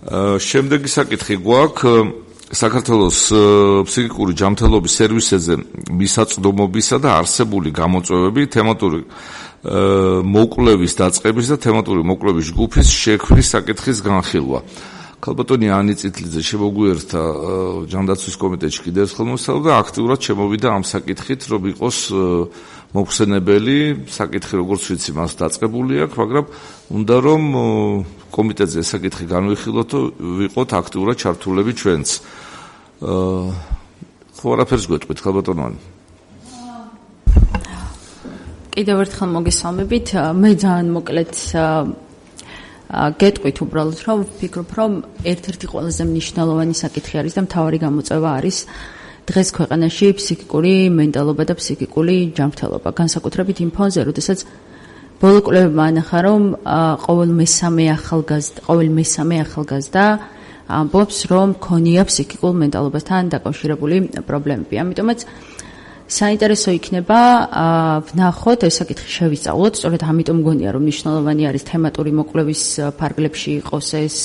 შემდეგი საკითხი გვაქვს საქართველოს ფსიქიკური ჯანმრთელობის სერვისებზე მისაწვდომობისა და არსებული გამოწვევები თემატური მოკვლევის დაწყების და თემატური მოკვლევის ჯგუფის შექმნის საკითხის განხილვა. ქალბატონი ანი წითლიძე შემოგვიერთდა ჯანდაცვის კომიტეტში კიდევ ერთხელ მოსწავლდა და აქტიურად შემოვიდა ამ საკითხით, რომ იყოს მოხსენებელი საკითხი, როგორც ვიცი, მას დაწყებული აქვს, მაგრამ უნდა რომ კომიტეტზე ეს საკითხი განვიხილოთ, ვიყოთ აქტიურად ჩართულები ჩვენც. ხო, არაფერს გვეტყვით, ქალბატონო. კიდევ ერთხელ მოგესალმებით. მე ძალიან მოკლედ გეტყვით უბრალოდ, რომ ვფიქრობ, რომ ერთ-ერთი ყველაზე მნიშვნელოვანი საკითხი არის და მთავარი გამოწვევა არის დღეს ქვეყანაში ფსიქიკური მენტალობა და ფსიქიკური ჯანმრთელობა. განსაკუთრებით იმ ფონზე, როდესაც ბოლო კვლევებმა ანახა, რომ ყოველ მესამე ახალგაზრდა ამბობს, რომ ქონია ფსიქიკურ მენტალობასთან დაკავშირებული პრობლემები. ამიტომაც საინტერესო იქნება ვნახოთ ეს საკითხი შევისწავლოთ, სწორედ ამიტომ მგონია, რომ მნიშვნელოვანი არის თემატური მოკვლევის ფარგლებში იყოს ეს,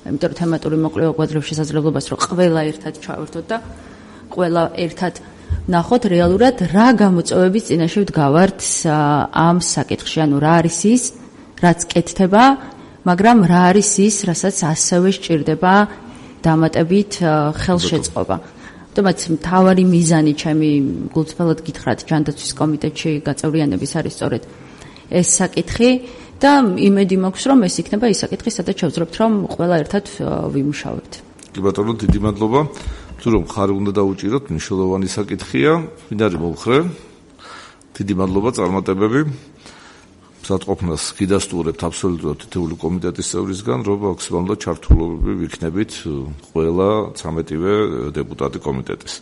იმიტომ რომ თემატური მოკვლევა გვაძლევს შესაძლებლობას, რომ ყველა ერთად ჩავერთოთ და ყველა ერთად ვნახოთ რეალურად რა გამოწვევების წინაშე ვდგავართ ამ საკითხში, ანუ რა არის ის, რაც კეთდება, მაგრამ რა არის ის, რასაც ასევე სჭირდება დამატებით ხელშეწყობა. თუმცა მთავარი მიზანი ჩემი გულწრფელად გითხრათ ჯანდაცვის კომიტეტში გაწევრიანების არის სწორედ ეს საკითხი და იმედი მაქვს რომ ეს იქნება ის საკითხი, სადაც შევძლებთ რომ ყველა ერთად ვიმუშავებთ. კი ბატონო, დიდი მადლობა. თუ რომ ხარი უნდა დაუჭიროთ, მნიშვნელოვანი საკითხია, მინდა მოვხრე. დიდი მადლობა წარმატებები. მზადყოფნას გიდასტურებთ აბსოლუტურად თითოეული კომიტეტის წევრისგან, რომ მაქსიმალურად ჩართულობები ვიქნებით ყველა 13-ვე დეპუტატი კომიტეტის.